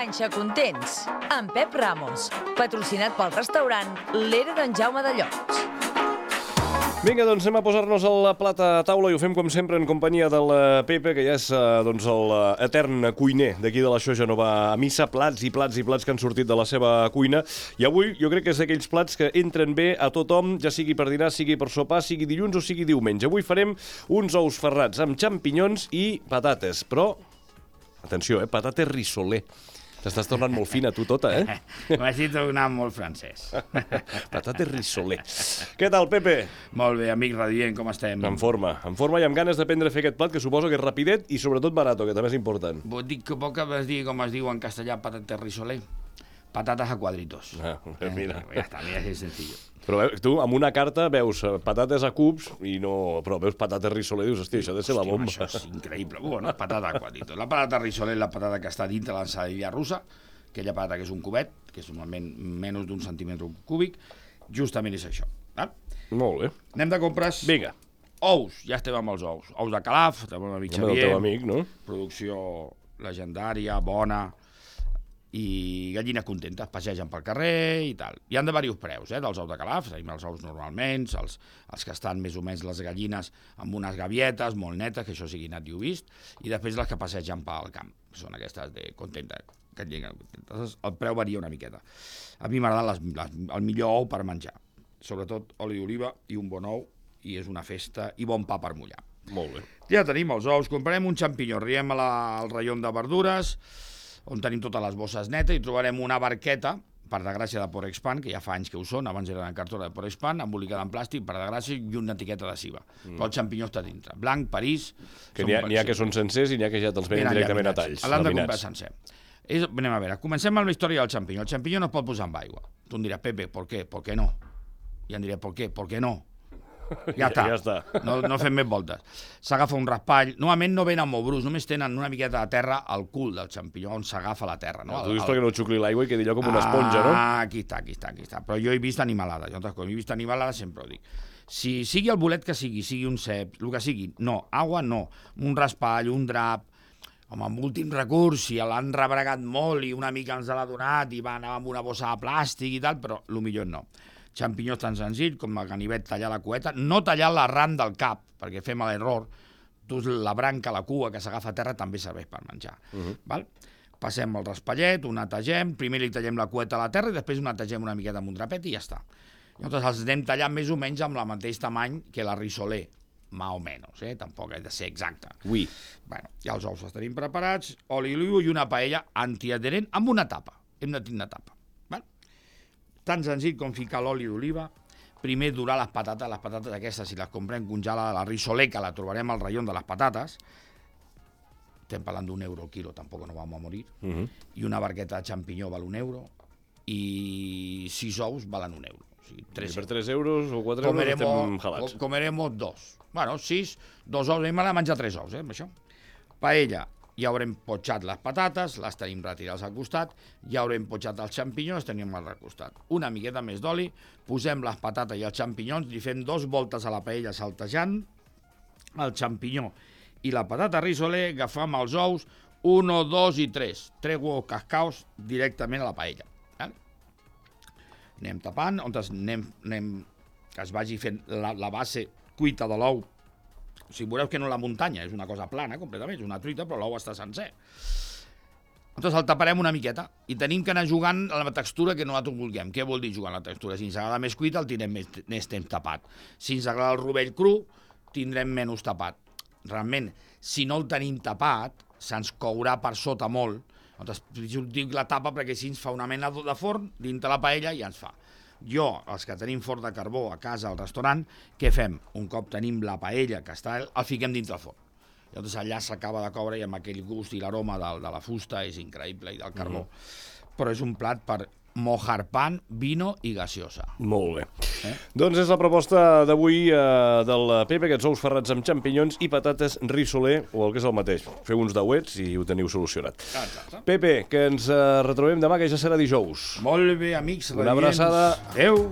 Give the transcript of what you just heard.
Panxa Contents, amb Pep Ramos, patrocinat pel restaurant L'Era d'en Jaume de Llots. Vinga, doncs anem a posar-nos el plat a taula i ho fem com sempre en companyia del Pepe, que ja és l'etern cuiner d'aquí de la Xoja Nova a missa, plats i plats i plats que han sortit de la seva cuina. I avui jo crec que és d'aquells plats que entren bé a tothom, ja sigui per dinar, sigui per sopar, sigui dilluns o sigui diumenge. Avui farem uns ous ferrats amb xampinyons i patates, però, atenció, patates rissoler. T'estàs tornant molt fina, tu, tota, M'has dit tornar molt francès. Patates rissoler. Què tal, Pepe? Molt bé, amic radient, com estem? En forma i amb ganes d'aprendre a fer aquest plat, que suposo que és rapidet i sobretot barato, que també és important. Vos dic que poc vas dir, com es diu en castellà, patates rissoler. Patates a cuadritos. Mira. Ja està, mira, és senzill. Però tu, amb una carta, veus patates a cubs, però veus patates rissoler i dius, hòstia, això ha de ser la bomba. Això és increïble. Bueno, patata a cuadritos. La patata rissoler és la patata que està dintre l'ensaladilla russa, aquella patata que és un cubet, que és normalment menys d'un centímetre cúbic, justament és això. Molt bé. Anem de compres. Vinga. Ous, ja estem amb els ous. Ous de Calaf, tenim un amic Xavier. El teu amic, no? Producció legendària, bona, i gallines contentes, passegen pel carrer i tal. Hi han de diversos preus, dels ous de Calaf. Tenim els ous normalment, els que estan més o menys les gallines amb unes gavietes molt netes, que això sigui nat i ho vist, i després les que passegen pel camp, que són aquestes de contentes, gallines contentes. El preu varia una miqueta. A mi m'agrada el millor ou per menjar, sobretot oli d'oliva i un bon ou, i és una festa, i bon pa per mullar. Molt bé. Ja tenim els ous, comprarem un xampinyó, arribem al raïó de verdures, on tenim totes les bosses netes, i trobarem una barqueta, per desgràcia de Porexpan, que ja fa anys que ho són, abans eren en cartó de Porexpan, embolicada en plàstic, per desgràcia, i una etiqueta adhesiva. Però el xampinyó està dintre. Blanc, París... Que n'hi ha que són sencers i n'hi ha que ja te'ls venen directament a talls. L'han de comprar sencer. Anem a veure, comencem amb la història del xampinyó. El xampinyó no es pot posar amb aigua. Tu em diràs, Pepe, ¿por qué? ¿Por qué no? I em diré, ¿por qué? ¿Por qué no? Ja està. No fem més voltes. S'agafa un raspall. Normalment no venen molt brus, només tenen una miqueta de terra al cul del xampinyó, on s'agafa la terra. Tu dius perquè no xucli l'aigua i quedi allò com una esponja, no? Aquí està. Però jo he vist animalada. Sempre ho dic. Si sigui el bolet que sigui un cep, el que sigui, no. Aigua, no. Un raspall, un drap. Home, amb últim recurs, si l'han rebregat molt i una mica ens l'ha donat i va anar amb una bossa de plàstic i tal, però el millor no. Xampinyó tan senzill com el ganivet tallar la cueta, no tallar l'arran del cap, perquè fem l'error, la branca, la cua que s'agafa a terra també serveix per menjar. Val? Passem el raspallet, ho netegem, primer li tallem la cueta a la terra i després ho netegem una miqueta amb un drapet i ja està. Llavors els anem tallant més o menys amb el mateix tamany que la rissoler, más o menys, tampoc ha de ser exacte. Ui. Bueno, ja els ous els tenim preparats, oli d'oliva i una paella antiadherent amb una tapa. Hem de tenir una tapa. Tan senzill com ficar l'oli d'oliva, primer dorar les patates aquestes, si les comprem congelades, la rissoler, que la trobarem al raïó de les patates, estem parlant €1 el quilo, tampoc no vam a morir, i una barqueta de xampinyó val €1, i 6 ous valen €1. O sigui, per 3 euros o 4 euros estem jalats. Comeremos 2. Bueno, 6, 2 ous, a mi m'ha de menjar 3 ous, amb això. Paella. Ja haurem potxat les patates, les tenim retirades al costat, ja haurem potxat els xampinyons, tenim al costat. Una miqueta més d'oli, posem les patates i els xampinyons, li fem 2 voltes a la paella saltejant, el xampinyó i la patata rissoler, agafam els ous, 1, 2 i 3. 3 huevos cascaos directament a la paella. Anem tapant, on que es vagi fent la base cuita de l'ou. O sigui, veureu que no la muntanya, és una cosa plana completament, és una truita, però l'ou està sencer. Llavors el taparem una miqueta i tenim que anar jugant a la textura que nosaltres vulguem. Què vol dir jugar a la textura? Si ens agrada més cuita, el tindrem més temps tapat. Si ens agrada el rovell cru, tindrem menys tapat. Realment, si no el tenim tapat, se'ns courà per sota molt. Llavors, dic la tapa perquè així ens fa una mena de forn dintre la paella i ens fa. Jo, els que tenim forn de carbó a casa, al restaurant, què fem? Un cop tenim la paella que està, el fiquem dintre el forn. Llavors allà s'acaba de coure i amb aquell gust i l'aroma de la fusta és increïble i del carbó. Però és un plat per mojar pan, vino i gaseosa. Molt bé. Doncs és la proposta d'avui del Pepe, aquests ous ferrats amb xampinyons i patates rissoler, o el que és el mateix. Feu uns dauets i ho teniu solucionat. Pepe, que ens retrobem demà, que ja serà dijous. Molt bé, amics. Una abraçada. Adéu.